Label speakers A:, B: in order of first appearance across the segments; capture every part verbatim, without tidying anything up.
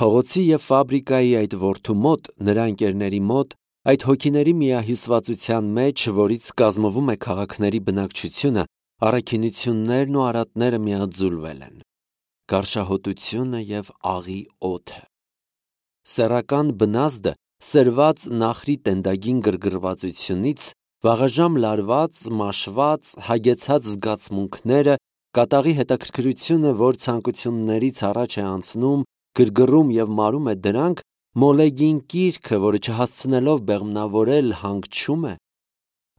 A: Փողոցի և ֆաբրիկայի այդ որդու մոտ, նրա ընկերների մոտ, այդ հոգիների միահյուսվածության մեջ, որից կազմվում է քաղաքների բնակչությունը, առաքինություններն ու արատները միաձուլվել են, գարշահոտությունը և աղի օդը։ Սեռական բնազդը սրված նախրի տենդագին գրգռվածությունից, վաղաժամ լարված, մաշված, հագեցած զգացմունքները, կատաղի հետաքրքրությունը, որ ցանկություններից առաջ է անցնում, գրգռում և մարում է դրանք, մոլեգին կիրքը, որը չհասցնելով բեղմնավորել հանգչում է,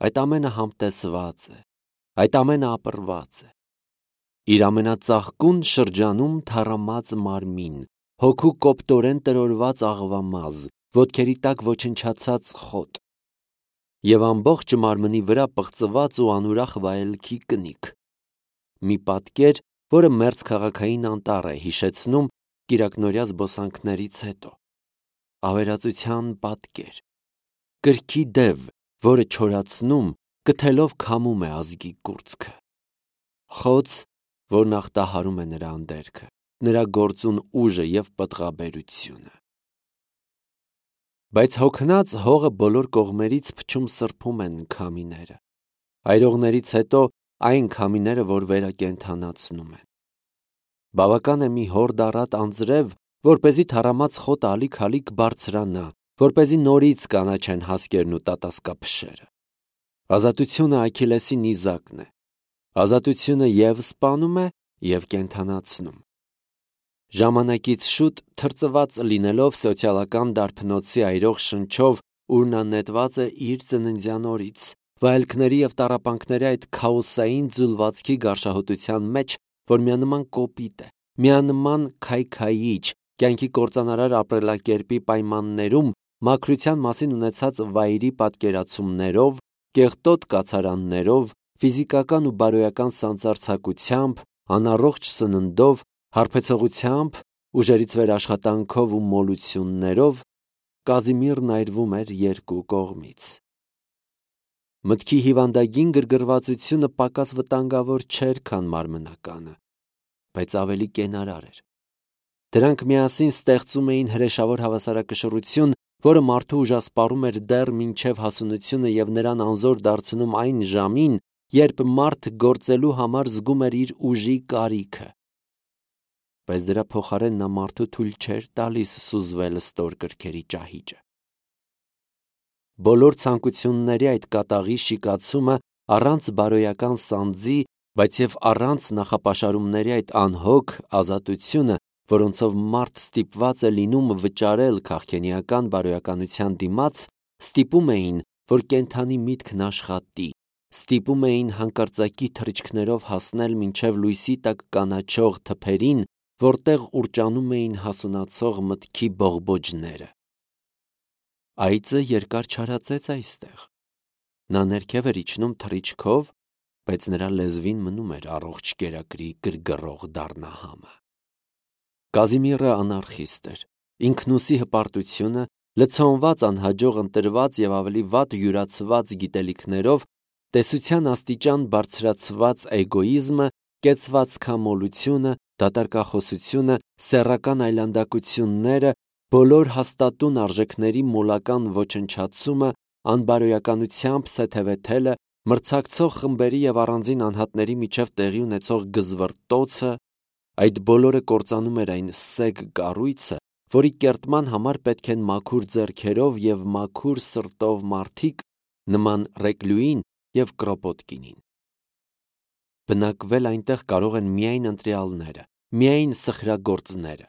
A: այդ ամենը համտեսված է, այդ ամենը ապռված է։ Իր ամենածաղկուն շրջանում թառամած մարմին, հոգու կոպտորեն տրորված աղվամազ, ոտքերի տակ ոչնչացած խոտ և ամբողջ մարմնի վրա պղծված ու անուրախ վայելքի կնիք։ Մի պատկեր, որը մերձքաղաքային անտառ է հիշեցնում կիրակնօրյա զբոսանքներից հետո։ Ավերածության պատկեր։ Կրքի դև, որը չորացնում, կթելով քամում է ազգի կուրծքը։ Խոց, որն ախտահարում է նրա անդերքը, նրա գործուն ուժը և պտղաբերությունը։ Բայց հոգնած հողը բոլոր կողմերից փչում սրբում են քամիները։ Այրողներից հետո այն քամիները, որ վերակենդանացնում են։ Բավական է մի հորդ առատ անձրև, որպեսզի թառամած խոտը ալիք-ալիք բարձրանա, որպեսզի նորից կանաչեն հասկերն ու տատասկափշերը։ Ազատությունը Աքիլեսի նիզակն է։ Ազատությունը և սպանում է, և կենդանացնում։ Ժամանակից շուտ թրծված լինելով սոցիալական դարբնոցի այրող շնչով, ուր նա նետված է իր ծննդյան օրից, վայելքների և տառապանքների այդ քաոսային ձուլվածքի գարշահոտության մեջ, որ միանման կոպիտ է, միանման քայքայիչ, կյանքի կործանարար ապրելակերպի պայմաններում, մաքրության մասին ունեցած վայրի պատկերացումներով, կեղտոտ կացարաններով, ֆիզիկական ու բարոյական սանձարձակությամբ, անառողջ սննդով, հարբեցողությամբ, ուժերից վեր աշխատանքով ու մոլություններով, Կազիմիրն այրվում էր երկու կողմից։ Մտքի հիվանդագին գրգռվածությունը պակաս վտանգավոր չէր, քան մարմնականը, բայց ավելի կենարար էր։ Դրանք միասին ստեղծում էին հրեշավոր հավասարակշռություն, որը մարդու ուժասպառում էր դեռ մինչև հասունությունը և նրան անզոր դարձնում այն ժամին, երբ մարդ գործելու համար զգում էր իր ուժի կարիքը։ Բայց դրա փոխարեն նա մարդու թույլ չէր տալիս սուզվել ստոր կրքերի ճահիճը։ Բոլոր ցանկությունների այդ կատաղի շիկացումը առանց բարոյական սանձի, բայց և առանց նախապաշարումների այդ անհոգ ազատությունը, որոնցով մարդ ստիպված է լինում վճարել քաղքենիական բարոյականության դիմաց, ստիպում էին, որ կենդանի միտքն աշխատի, ստիպում էին հանկարծակի թռիչքներով հասնել մինչև լույսի տակ կանաչող թփերին, որտեղ ուռճանում էին հասունացող մտքի բողբոջները։ Այծը երկար չարածեց այստեղ։ Նա ներքև էր իջնում թռիչքով, բայց նրա լեզվին մնում էր առողջ կերակրի գրգռող դառնահամը։ Կազիմիրը անարխիստ էր։ Ինքնուսի հպարտությունը, լցոնված անհաջող ընտրված և ավելի վատ յուրացված գիտելիքներով, տեսության աստիճան բարձրացված էգոիզմը, կեցվածքամոլությունը, դատարկախոսությունը, սեռական այլանդակությունները, բոլոր հաստատուն արժեքների մոլական ոչնչացումը, անբարոյականությամբ սեթևեթելը, մրցակցող խմբերի և առանձին անհատների միջև տեղի ունեցող գզվռտոցը, այդ բոլորը կործանում էր այն սեգ կառույցը, որի կերտման համար պետք են մաքուր ձեռքերով և մաքուր սրտով մարդիկ, նման Ռեկլյուին և Կրոպոտկինին։ Բնակվել այնտեղ կարող են միայն ընտրյալները, միայն սխրագործները։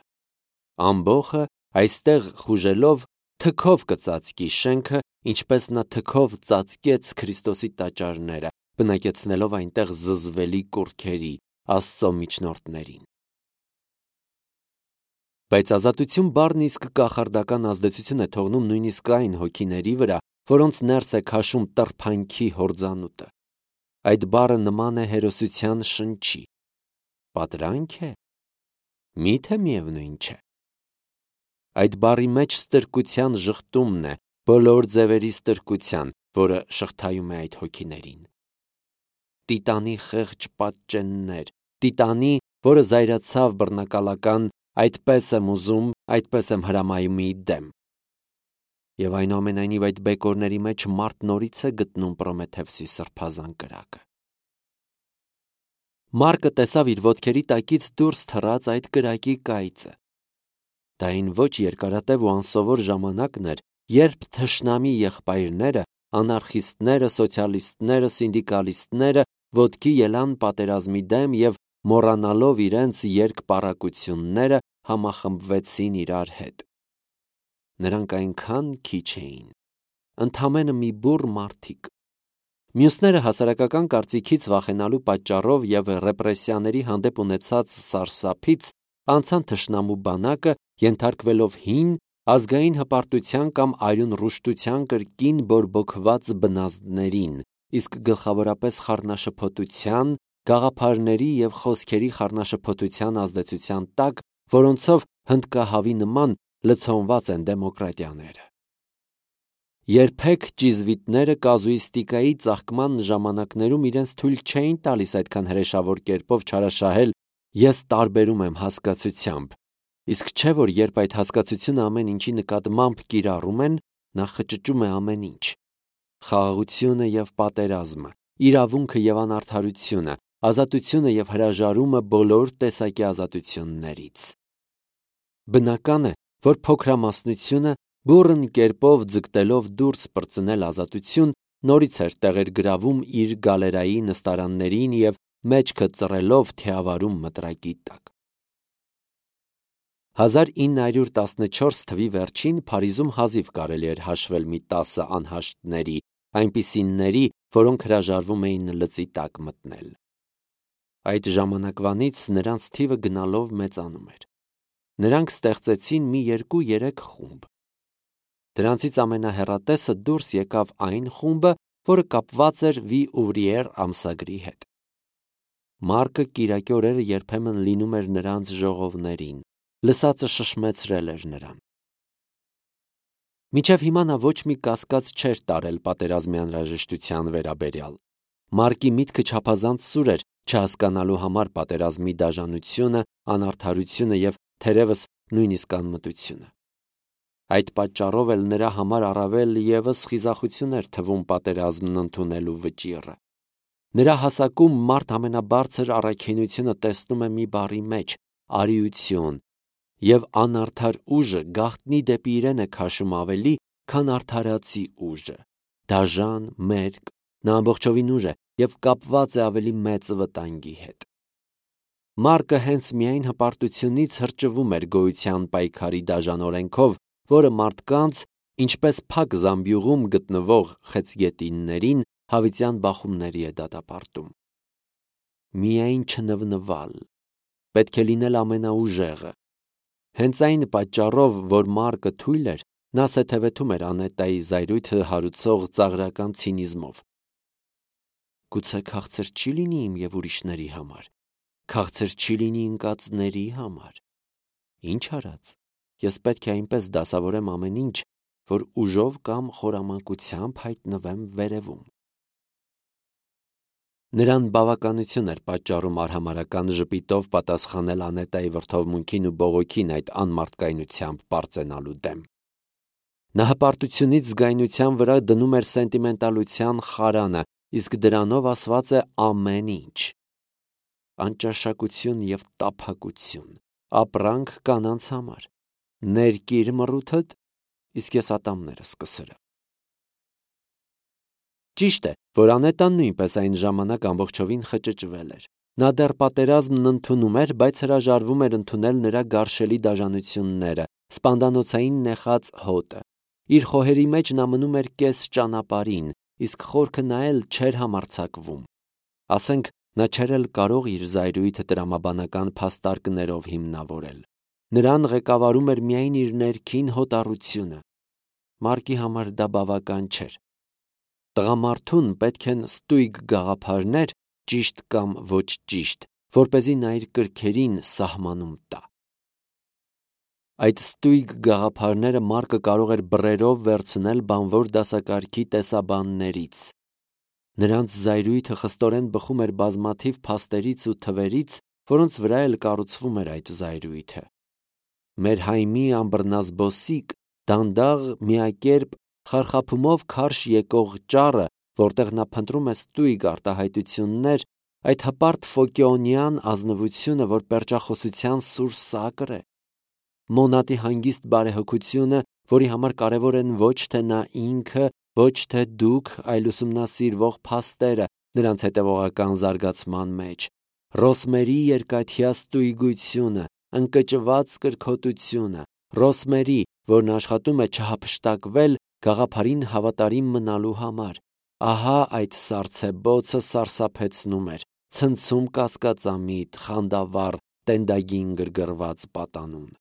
A: Ամբոխը այստեղ խուժելով թքով կծածկի շենքը, ինչպես նա թքով ծածկեց Քրիստոսի տաճարները, բնակեցնելով այնտեղ զզվելի կուռքերի, Աստծո միջնորդներին։ Բայց ազատություն բառն իսկ կախարդական ազդեցություն է թողնում նույնիսկ այն հոգիների վրա, որոնց ներս է քաշում տրփանքի հորձանուտը։ Այդ բառը նման է հերոսության շնչի։ Պատրանք է։ Մի՞թե միևնույն չէ։ Այդ բառի մեջ ստրկության ժխտումն է, բոլոր ձևերի ստրկության, որը շղթայում է այդ հոգիներին։ Տիտանի խեղճ պատճեններ, Տիտանի, որը զայրացավ բռնակալական այդպես եմ ուզում, այդպես եմ հրամայում ի դեմ։ Եվ այնուամենայնիվ այդ բեկորների մեջ մարդ նորից է գտնում Պրոմեթևսի սրբազան կրակը։ Մարկը տեսավ իր ոտքերի տակից դուրս թռած այդ կրակի կայծը։ Դա այն ոչ երկարատև ու անսովոր ժամանակն էր, երբ թշնամի եղբայրները, անարխիստները, սոցիալիստները, սինդիկալիստները ոտքի ելան պատերազմի դեմ և մոռանալով իրենց երկպառակությունները համախմբվեցին իրար հետ։ Նրանք այնքան քիչ էին, ընդամենը մի բուռ մարդիկ։ Մյուսները հասարակական կարծիքից վախենալու պատճառով և ռեպրեսիաների հանդեպ ունեցած սարսափից անցան թշնամու բանակը, ենթարկվելով հին, ազգային հպարտության կամ արյուն ռուշտության կրկին բորբոքված բնազդներին, իսկ գլխավորապես խառնաշփոթության, գաղափարների և խոսքերի խառնաշփոթության ազդեցության տակ, որոնցով հնդկահավի նման լցոնված են դեմոկրատիաները։ Երբեք ճիզվիտները կազուիստիկայի ծաղկման ժամանակներում իրենց թույլ չէին տալիս այդքան հրեշավոր կերպով չարաշահել «ես տարբերում եմ» հասկացությամբ, իսկ չէ որ երբ այդ հասկացությունը ամեն ինչի նկատմամբ կիրառում են, նա խճճում է ամեն ինչ՝ խաղաղությունը և պատերազմը, իրավունքը և անարդարությունը, ազատությունը և հրաժարումը բոլոր տեսակի ազատություններից։ Բնական է, որ փոքրամասնությունը բուռն կերպով ձգտելով դուրս պրծնել ազատություն, նորից էր տեղեր գրավում իր գալերայի նստարաններին և մեջքը ծռելով թիավարում մտրակի տակ։ հազար ինը հարյուր տասնչորս թվականի վերջին Փարիզում հազիվ կարելի էր հաշվել մի տասը անհաշտների, այնպիսիների, որոնք հրաժարվում էին լծի տակ մտնել։ Այդ ժամանակվանից նրանց թիվը գնալով մեծանում էր։ Նրանք ստեղծեցին մի երկու-երեք խումբ։ Դրանցից ամենահեռատեսը դուրս եկավ այն խումբը, որը կապված էր Վի Ուվրիեր ամսագրի հետ։ Մարկը կիրակի օրերը երբեմն լինում էր նրանց ժողովներին, լսածը շշմեցրել էր նրան։ Մինչև հիմա նա ոչ մի կասկած չէր տարել պատերազմի անհրաժեշտության վերաբերյալ։ Մարկի միտքը չափազանց սուր էր չհասկանալու համար պատերազմի դաժանությունը, անարդարությունը և թերևս նույնիսկ անմտությունը։ Այդ պատճառով էլ նրա համար առավել ևս խիզախություն էր թվում պատերազմն ընդունելու վճիռը։ Նրա հասակում մարդ ամենաբարձր առաքինությունը տեսնում է մի բառի մեջ՝ արիություն, և անարդար ուժը գաղտնի դեպի իրեն է քաշում ավելի, քան արդարացի ուժը, դաժան, մերկ, նա ամբողջովին ուժ է և կապված է ավելի մեծ վտանգի հետ։ Մարկը հենց միայն հպարտությունից հրճվում էր գոյության պայքարի դաժան օրենքով, որը մարդկանց, ինչպես փակ զամբյուղում գտնվող խեցգետիններին, հավիտյան բախումների է դատապարտում։ Միայն չնվնվալ, պետք է լինել ամենաուժեղը։ Հենց այն պատճառով, որ Մարկը թույլ էր, նա սեթևեթում էր Անետայի զայրույթը հարուցող ծաղրական ցինիզմով։ Գուցե քաղցր չի լինի իմ և ուրիշների համար, քաղցր չի լինի ընկածների համար։ Ինչ արած, ես պետք է այնպես դասավորեմ ամեն ինչ, որ ուժով կամ խորամանկությամբ հայտնվեմ վերևում։ Նրան բավականություն էր պատճառում արհամարհական ժպիտով պատասխանել Անետայի վրդովմունքին ու բողոքին այդ անմարդկայնությամբ պարծենալու դեմ։ Նա հպարտությունից զգայնության վրա դնում էր սենտիմենտալության խարանը, իսկ դրանով ասված է ամեն ինչ։ Անճաշակություն և տափակություն, ապրանք կանանց համար, ներկիր մռութդ, իսկ ես ատամներս կսրեմ։ Ճիշտ է, որ Անետան նույնպես այն ժամանակ ամբողջովին խճճվել էր։ Նա դեռ պատերազմն ընդունում էր, բայց հրաժարվում էր ընդունել նրա գարշելի դաժանությունները, սպանդանոցային նեխած հոտը։ Իր խոհերի մեջ նա մնում էր կես ճանապարհին, իսկ խորքը նայել չէր համարձակվում։ Ասենք, նա չէր էլ կարող իր զայրույթը տրամաբանական փաստարկներով հիմնավորել։ Նրան ղեկավարում էր միայն իր ներքին հոտառությունը։ Մարկի համար դա բավական չէր։ Տղամարդուն պետք են ստույգ գաղափարներ, ճիշտ կամ ոչ ճիշտ, որպեսզի նա իր կրքերին սահմանում տա։ Այդ ստույգ գաղափարները Մարկը կարող էր բռերով վերցնել բանվոր դասակարգի տեսաբաններից։ Նրանց զայրույթը խստորեն բխում էր բազմաթիվ փաստերից ու թվերից, որոնց վրա էլ կառուցվում էր այդ զայրույթը։ Մեր հայմի ամբռնազբոսիկ, դանդաղ, միակերպ, խարխափումով քարշ եկող ճառը, որտեղ նա փնտրում է ստույգ արտահայտություններ, այդ հպարտ ֆոկեոնյան ազնվությունը, որ պերճախոսության սուր սակր է, Մոնատի հանգիստ բարեհոգությունը, որի համար կարևոր են ոչ թե նա ինքը, ոչ թե դուք, այլ ուսումնասիրվող փաստերը նրանց հետևողական զարգացման մեջ, Ռոսմերի երկաթյա ստույգությունը, ընկճված կրքոտությունը, Ռոսմերի, որն աշխատում է չհափշտակվել գաղափարին հավատարիմ մնալու համար, ահա այդ սառցեբոցը սարսափեցնում էր, ցնցում կասկածամիտ, խանդավառ, տենդագին գրգռված պատանուն։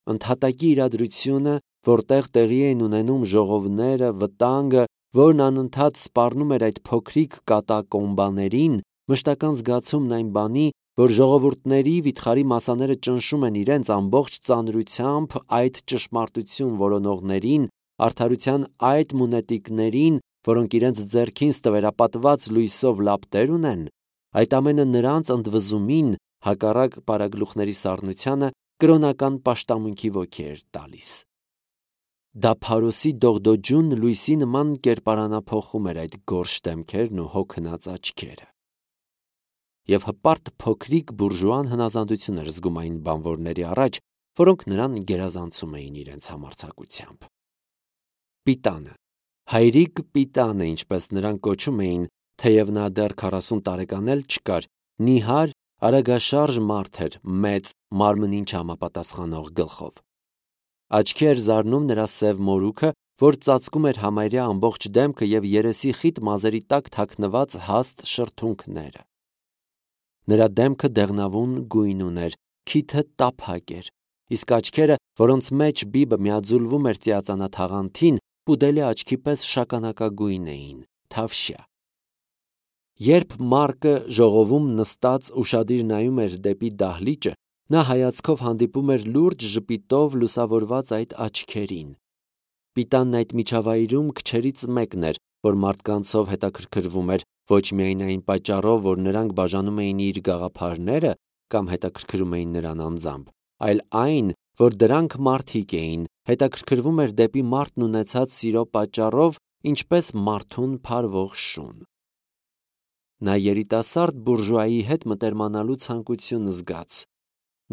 A: Ընդհատակի իրադրությունը, որտեղ տեղի էին ունենում ժողովները, վտանգը, որն անընդհատ սպառնում էր այդ փոքրիկ կատակոմբաներին, մշտական զգացումն այն բանի, որ ժողովուրդների վիթխարի մասաները ճնշում են իրենց ամբողջ ծանրությամբ այդ ճշմարտություն որոնողներին, արդարության այդ մունետիկներին, որոնք իրենց ձեռքին ստվերապատված լույսով լապտեր ունեն, այդ ամենը նրանց ընդվզումին, հակառակ պարագլուխների սառնությանը, կրոնական պաշտամունքի ոգի էր տալիս։ Դա Փարոսի դողդոջուն լույսի նման կերպարանափոխում էր այդ գորշ դեմքերն ու հոգնած աչքերը։ Եվ հպարտ փոքրիկ բուրժուան հնազանդություն էր զգում այն բանվորների առաջ, որոնք նրան գերազանցում էին իրենց համարձակությամբ։ Պիտանը, հայրիկ Պիտանը, ինչպես նրան կոչում էին, թեև նա դեռ քառասուն տարեկան էլ չկար, նիհար, արագաշարժ մարդ էր, մեծ, մարմնին չհամապատասխանող գլխով։ Աչքի էր զարնում նրա սև մորուքը, որ ծածկում էր համարյա ամբողջ դեմքը և երեսի խիտ մազերի տակ թաքնված հաստ շրթունքները։ Նրա դեմքը դեղնավուն գույն ուներ, քիթը տափակ էր, իսկ աչքերը, որոնց մեջ բիբը միաձուլվում էր ծիածանաթաղանթին, պուդելի աչքի պես շագանակագույն էին, թավշյա։ Երբ Մարկը ժողովում նստած ուշադիր նայում էր դեպի դահլիճը, նա հայացքով հանդիպում էր լուրջ ժպիտով լուսավորված այդ աչքերին։ Պիտանն այդ միջավայրում քչերից մեկն էր, որ մարդկանցով հետաքրքրվում էր, ոչ միայն այն պատճառով, որ նրանք բաժանում էին իր գաղափարները կամ հետաքրքրում էին նրան անձամբ, այլ այն, որ դրանք մարդիկ էին, հետաքրքրվում էր դեպի մարդն ունեցած սիրո պատճառով, ինչպես մարդուն փարվող շուն։ Նա երիտասարդ բուրժուայի հետ մտերմանալու ցանկություն զգաց։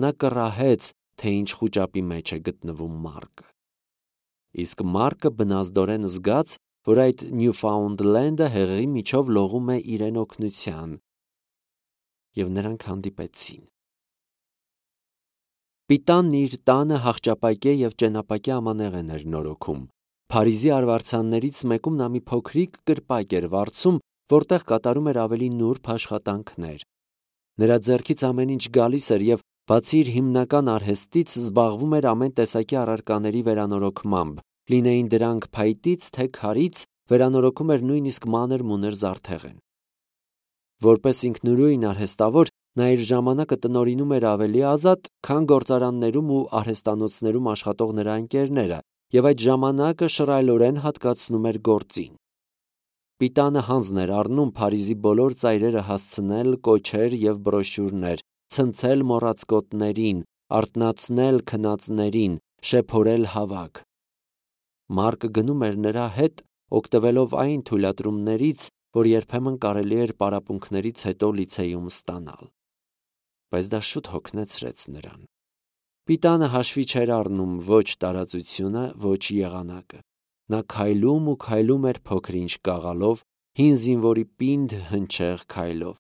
A: Նա կռահեց, թե ինչ խուճապի մեջ է գտնվում Մարկը։ Իսկ Մարկը բնազդորեն զգաց, որ այդ Նյուֆաունդլենդը հեղեղի միջով լողում է իրեն օգնության, և նրանք հանդիպեցին։ Պիտանն իր տանը հախճապակե և ճենապակե ամանեղեն էր նորոգում։ Փարիզի արվարձաններից մեկում նա մի փոքրիկ կրպակ էր վարձում, որտեղ կատարում էր ավելի նուրբ աշխատանքներ։ Նրա ձեռքից ամեն ինչ գալիս էր և, բացի իր հիմնական արհեստից, զբաղվում էր ամեն տեսակի առարկաների վերանորոգմամբ, լինեին դրանք փայտից, թե քարից, վերանորոգում էր նույնիսկ մանր-մունր զարդեղեն։ Որպես ինքնուրույն արհեստավոր, նա իր ժամանակը տնօրինում էր ավելի ազատ, քան գործարաններում ու արհեստանոցներում աշխատող նրա ընկերները, և այդ ժամանակը շռայլորեն հատկացնում էր գործին։ Պիտանը հանձն էր առնում Փարիզի բոլոր ծայրերը հասցնել կոչեր և բրոշյուրներ, ցնցել մոռացկոտներին, արթնացնել քնածներին, շեփորել հավաք։ Մարկը գնում էր նրա հետ, օգտվելով այն թույլատրումներից, որ երբեմն կարելի էր պարապմունքներից հետո լիցեյում ստանալ։ Բայց դա շուտ հոգնեցրեց նրան։ Պիտանը հաշվի չէր առնում ոչ տարածությունը, ոչ եղանակը։ Նա քայլում ու քայլում էր փոքր-ինչ կաղալով, հին զինվորի պինդ հնչեղ քայլով։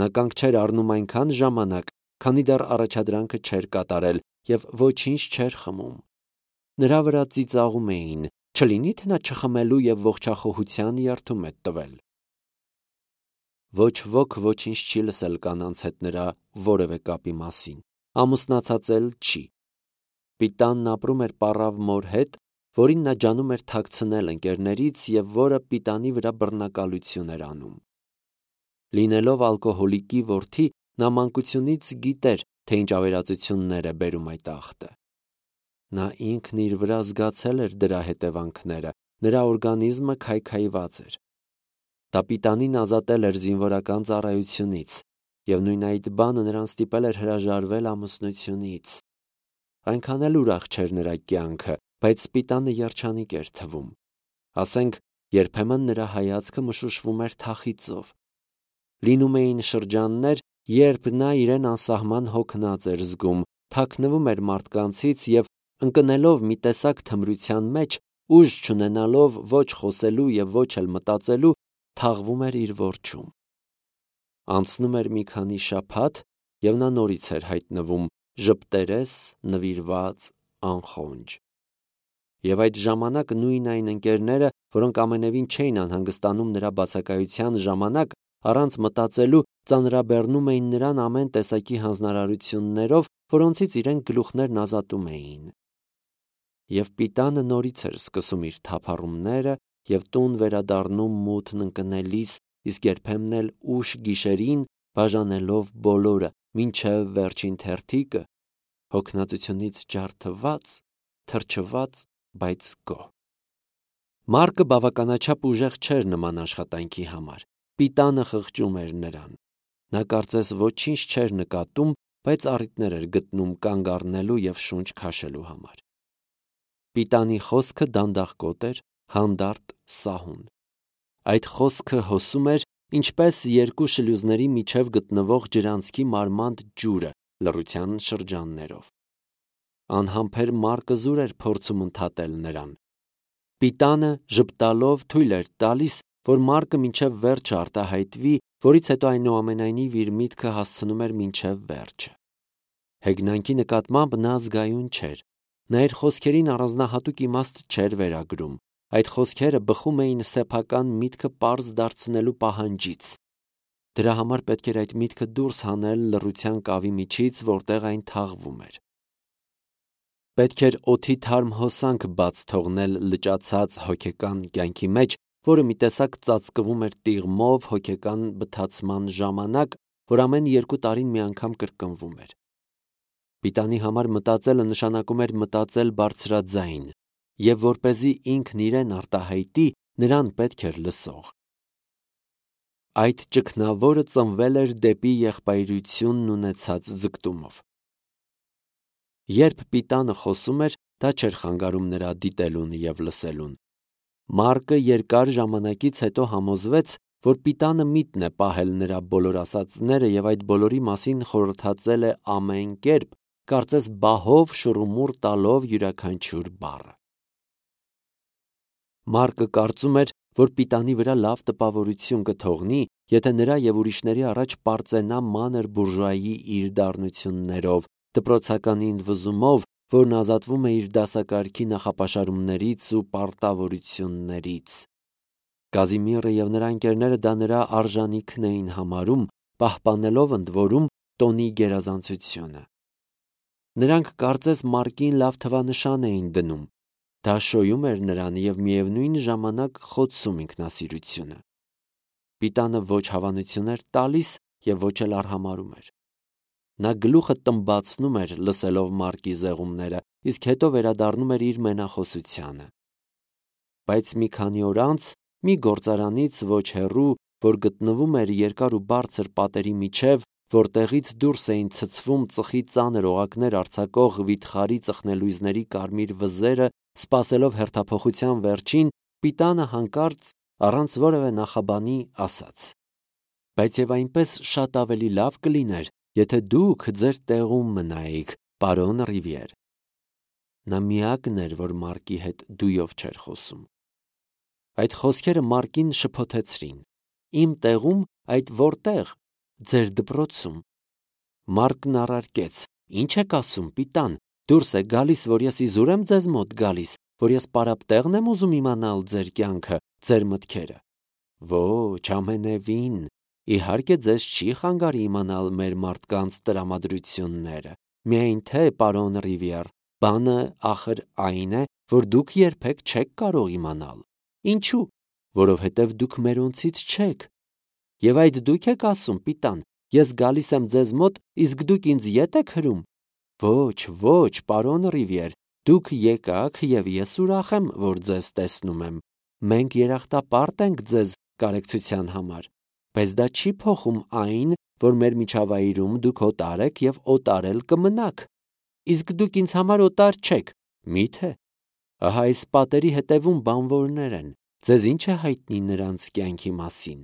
A: Նա կանգ չէր առնում այնքան ժամանակ, քանի դեռ առաջադրանքը չէր կատարել և ոչինչ չէր խմում։ Նրա վրա ծիծաղում էին, չլինի թե նա չխմելու և ողջախոհության երդում է տվել։ Ոչ ոք ոչինչ չի լսել կանանց հետ նրա որևէ կապի մասին, ամուսնացած էլ չի։ Պիտանն ապրում էր պառավ մոր հետ, որին նա ջանում էր թաքցնել ընկերներից և որը Պիտանի վրա բռնակալություն էր անում։ Լինելով ալկոհոլիկի որդի, նա մանկությունից գիտեր, թե ինչ ավերածություններ է բերում այդ ախտը։ Նա ինքն իր վրա զգացել էր դրա հետևանքները, նրա օրգանիզմը քայքայված էր։ Դա Պիտանին ազատել էր զինվորական ծառայությունից, և նույն այդ բանը նրան ստիպել էր հրաժարվել ամուսնությունից։ այնքան էլ ուրախ չէր նրա կյանքը, բայց սպիտանը երջանիկ էր թվում։ Ասենք, երբեմն նրա հայացքը մշուշվում էր թախիծով։ Լինում էին շրջաններ, երբ նա իրեն անսահման հոգնած էր զգում, թաքնվում էր մարդկանցից և ընկնելով մի տեսակ թմրության մեջ, ուժ չունենալով ոչ խոսելու և ոչ էլ մտածելու, թաղվում էր իր որջում։ Անցնում էր մի քանի շաբաթ, և նա նորից էր հայտնվում ժպտերես, նվիրված, անխոնջ։ Եվ այդ ժամանակ նույն այն ընկերները, որոնք ամենևին չէին անհանգստանում նրա բացակայության ժամանակ, առանց մտածելու ծանրաբեռնում էին նրան ամեն տեսակի հանձնարարություններով, որոնցից իրենք գլուխներն ազատում էին։ Եվ Պիտանը նորից էր սկսում իր թափառումները և տուն վերադառնում մութն ընկնելիս, իսկ երբեմն էլ ուշ գիշերին, բաժանելով բոլորը, մինչև վերջին թերթիկը, հոգնածությունից ջարդված, թրջված, բայց գոհ։ Մարկը բավականաչափ ուժեղ չէր նման աշխատանքի համար։ Պիտանը խղճում էր նրան։ Նա կարծես ոչինչ չէր նկատում, բայց առիթներ էր գտնում կանգ առնելու և շունչ քաշելու համար։ Պիտանի խոսքը դանդաղկոտ էր, հանդարտ, սահուն։ Այդ խոսքը հոսում էր, ինչպես երկու շլյուզների միջև գտնվող ջրանցքի մարմանդ ջուրը լռության շրջաններով։ Անհամբեր Մարկը զուր էր փորձում ընդհատել նրան։ Պիտանը ժպտալով թույլ էր տալիս, որ Մարկը մինչև վերջը արտահայտվի, որից հետո այնուամենայնիվ իր միտքը հասցնում էր մինչև վերջը։ Հեգնանքի նկատմամբ նա զգայուն չէր։ Նա իր խոսքերին առանձնահատուկ իմաստ չէր վերագրում։ Այդ խոսքերը բխում էին սեփական միտքը պարզ դարձնելու պահանջից։ Դրա համար պետք էր այդ միտքը դուրս հանել լռության կավի միջից, որտեղ այն թաղվում էր։ Պետք էր օդի թարմ հոսանք բաց թողնել լճացած հոգեկան կյանքի մեջ, որը մի տեսակ ծածկվում էր տիղմով հոգեկան բթացման ժամանակ, որ ամեն երկու տարին մի անգամ կրկնվում էր։ Պիտանի համար մտածելը նշանակում էր մտածել բարձրաձայն, և որպեսզի ինքն իրեն արտահայտի, նրան պետք էր լսող։ Այդ ճգնավորը ծնվել էր դեպի եղբայրությունն ունեցած ձգտումով։ Երբ Պիտանը խոսում էր, դա չէր խանգարում նրա դիտելուն և լսելուն։ Մարկը երկար ժամանակից հետո համոզվեց, որ Պիտանը միտն է պահել նրա բոլոր ասածները և այդ բոլորի մասին խորհրդածել է ամեն կերպ, կարծես բահով շուռումուռ տալով յուրաքանչյուր բառը։ Մարկը կարծում էր, որ Պիտանի վրա լավ տպավորություն կթողնի, եթե նրա և ուրիշների առաջ պարծենա մանր բուրժուայի իր դառնություններով, դպրոցականի ընդվզումով, որն ազատվում է իր դասակարգի նախապաշարումներից ու պարտավորություններից։ Կազիմիրը և նրա ընկերները դա նրա արժանիքն էին համարում, պահպանելով ընդ որում տոնի գերազանցությունը։ Նրանք կարծես Մարկին լավ թվանշան էին դնում։ Դա շոյում էր նրան և միևնույն ժամանակ խոցում ինքնասիրությունը։ Պիտանը ոչ հավանություն էր տալիս և ոչ էլ արհամարհում էր։ Նա գլուխը տմբացնում էր լսելով Մարկի զեղումները, իսկ հետո վերադառնում էր իր մենախոսությանը։ Բայց մի քանի օր անց մի գործարանից ոչ հեռու, որ գտնվում էր երկար ու բարձր պատերի միջև, որտեղից դուրս էին ցցվում ծխի ծանր օղակներ արձակող վիթխարի ծխնելույզների կարմիր վզերը, սպասելով հերթափոխության վերջին, Պիտանը հանկարծ առանց որևէ նախաբանի ասաց. «Բայց և այնպես շատ ավելի լավ կլիներ, եթե դուք ձեր տեղում մնայիք, պարոն Ռիվիեր»։ Նա միակն էր, որ Մարկի հետ դույով չէր խոսում։ Այդ խոսքերը Մարկին շփոթեցրին։ «Իմ տեղում, այդ որտեղ»։ «Ձեր դպրոցում»։ Մարկն առարկեց. «Ինչ եք ասում, Պիտան, դուրս է գալիս, որ ես իզուր եմ ձեզ մոտ գալիս, որ ես պարապ տեղն եմ ուզում իմանալ ձեր կյանքը, ձեր մտքերը»։ «Ոչ, ամենևին, իհարկե ձեզ չի խանգարի իմանալ մեր մարդկանց տրամադրությունները, միայն թե, պարոն Ռիվիեր, բանը ախր այն է, որ դուք երբեք չեք կարող իմանալ։ Ինչու՞։ Որովհետև դուք մերոնցից չեք։ Եվ այդ դուք եք ասում, Պիտան, ես գալիս եմ ձեզ մոտ, իսկ դուք ինձ ետ եք հրում։ Ոչ, ոչ, պարոն Ռիվիեր, դուք եկաք և ես ուրախ եմ, որ ձեզ տեսնում եմ։ Մենք երախտապարտ ենք ձեզ կարեկցության համար, բայց դա չի փոխում այն, որ մեր միջավայրում դուք օտար եք և օտար էլ կմնաք։ Իսկ դուք ինձ համար օտար չեք, մի՞թե։ Ահա այս պատերի հետևում բանվորներ են, ձեզ ի՞նչ է հայտնի նրանց կյանքի մասին։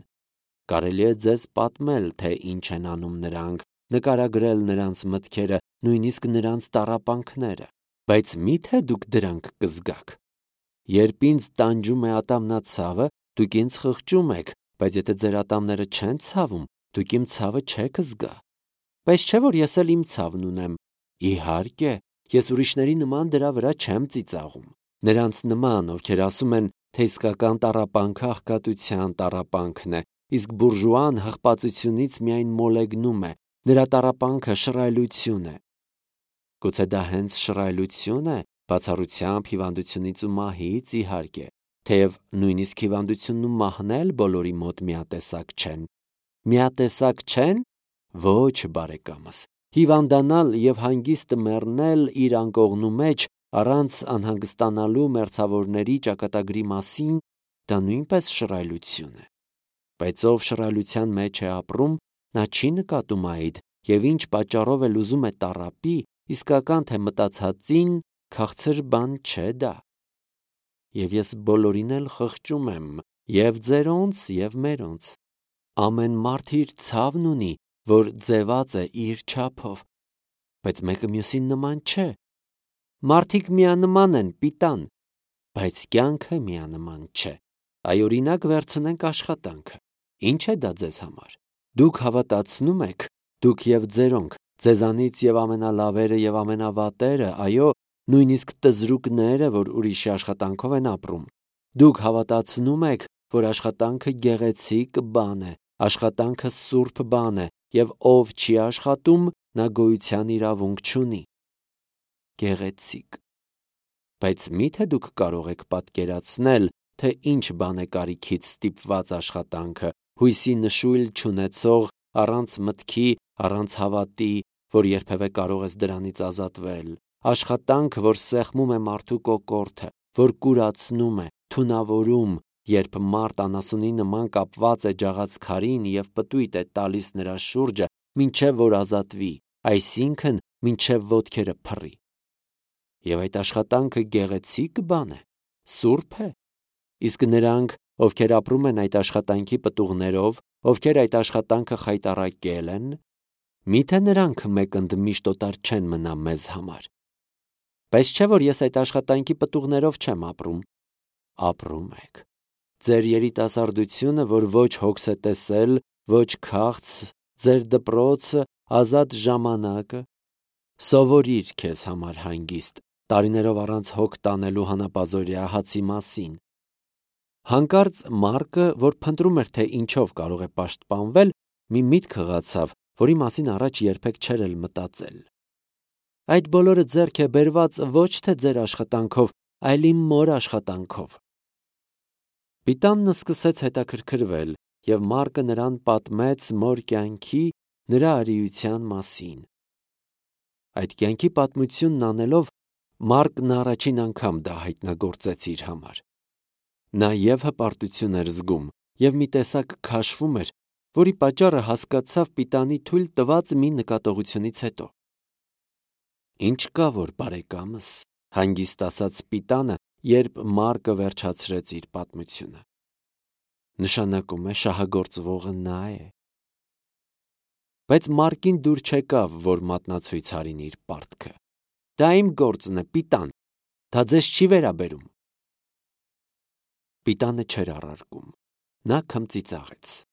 A: Կարելի է ձեզ պատմել, թե ինչ են անում նրանք, նկարագրել նրանց մտքերը, նույնիսկ նրանց տառապանքները, բայց մի՞թե դուք դրանք կզգաք։ Երբ ինձ տանջում է ատամնացավը, դուք ինձ խղճում եք, բայց եթե ձեր ատամները չեն ցավում, դուք իմ ցավը չեք զգա։ Բայց չէ՞ որ ես էլ իմ ցավն ունեմ։ Իհարկե, ես ուրիշների նման դրա վրա չեմ ծիծաղում։ Նրանց նման, ովքեր ասում են, թե իսկական տառապանքը աղքատության տառապանքն է, իսկ բուրժուան հղպածությունից միայն մոլեգնում է, նրա տառապանքը շռայլություն է։ Գուցե դա հենց շռայլություն է, բացառությամբ հիվանդությունից ու մահից, իհարկե, թեև նույնիսկ հիվանդությունն ու մահն էլ բոլորի մոտ միատեսակ չեն։ Միատեսակ չեն։ Ոչ, բարեկամս, հիվանդանալ և հանգիստ մեռնել իր անկողնու մեջ առանց անհանգստանալու մերձավորների ճակատագրի մասին, դա նույնպես շռայլություն է։ Բայց ով շռայլության մեջ է ապրում, նա չի նկատում այդ, և ինչ պատճառով էլ ուզում է տառապի, իսկական թե մտածածին, քաղցր բան չէ դա։ Եվ ես բոլորին էլ խղճում եմ, և ձերոնց, և մերոնց։ Ամեն մարդ իր ցավն ունի, որ ձևած է իր չափով, բայց մեկը մյուսին նման չէ։ Մարդիկ միանման են, պիտան, բայց կյանքը միանման չէ։ Այ օրինակ վերցնենք աշխատանքը։ Ինչ է դա ձեզ համար։ Դուք հավատացնում եք, դուք և ձերոնք, ձեզանից և ամենալավերը և ամենավատերը, այո, նույնիսկ տզրուկները, որ ուրիշի աշխատանքով են ապրում։ Դուք հավատացնում եք, որ աշխատանքը գեղեցիկ բան է, աշխատանքը սուրբ բան է, և ով չի աշխատում, նա գոյության իրավունք չունի։ Գեղեցիկ։ Բայց մի՞թե դուք կարող եք պատկերացնել, թե ինչ բան է կարիքից ստիպված աշխատանքը, հույսի նշույլ չունեցող, առանց մտքի, առանց հավատի, որ երբևէ կարող ես դրանից ազատվել, աշխատանք, որ սեղմում է մարդու կոկորդը, որ կուրացնում է, թունավորում, երբ մարդ անասունի նման կապված է ջաղած քարին և պտույտ է տալիս նրա շուրջը, մինչև որ ազատվի, այսինքն մինչև ոտքերը փռի։ Եվ այդ աշխատանքը գեղեցիկ բան է, սուրբ է։ Իսկ նրանք, ովքեր ապրում են այդ աշխատանքի պտուղներով, ովքեր այդ աշխատանքը խայտառակել են, մի՞թե նրանք մեկ ընդմիշտ օտար չեն մնա մեզ համար։ Բայց չէ՞ որ ես այդ աշխատանքի պտուղներով չեմ ապրում։ Ապրում եք։ Ձեր երիտասարդությունը, որ ոչ հոգս է տեսել, ոչ քաղց, ձեր դպրոցը, ազատ ժամանակը, սովորիր քեզ համար հանգիստ, տարիներով առանց հոգ տանելու հանապազօրյա հացի մասին։ Հանկարծ Մարկը, որ փնտրում էր, թե ինչով կարող է պաշտպանվել, մի միտք հղացավ, որի մասին առաջ երբեք չէր էլ մտածել։ Այդ բոլորը ձեռք է բերված ոչ թե ձեր աշխատանքով, այլ իմ մոր աշխատանքով։ Պիտանն սկսեց հետաքրքրվել, և Մարկը նրան պատմեց մոր կյանքի, նրա արիության մասին։ Այդ կյանքի պատմությունն անելով, Մարկն առաջին անգամ դա հայտնագործեց իր համար։ Նա և հպարտություն էր զգում, և մի տեսակ քաշվում էր, որի պատճառը հասկացավ պիտանի թույլ տված մի նկատողությունից հետո։ Ինչ կա որ, բարեկամս, հանգիստ ասաց Պիտանը, երբ Մարկը վերջացրեց իր պատմությունը։ Նշանակում է շահագործվողը նա է։ Բայց Մարկին դուր չեկավ, որ մատնացույց հարին իր պարտքը։ Դա իմ գործն է, Պիտան, դա ձեզ չի վերաբերում։ Պիտանը չէր առարկում։ Նա քմծիծաղեց։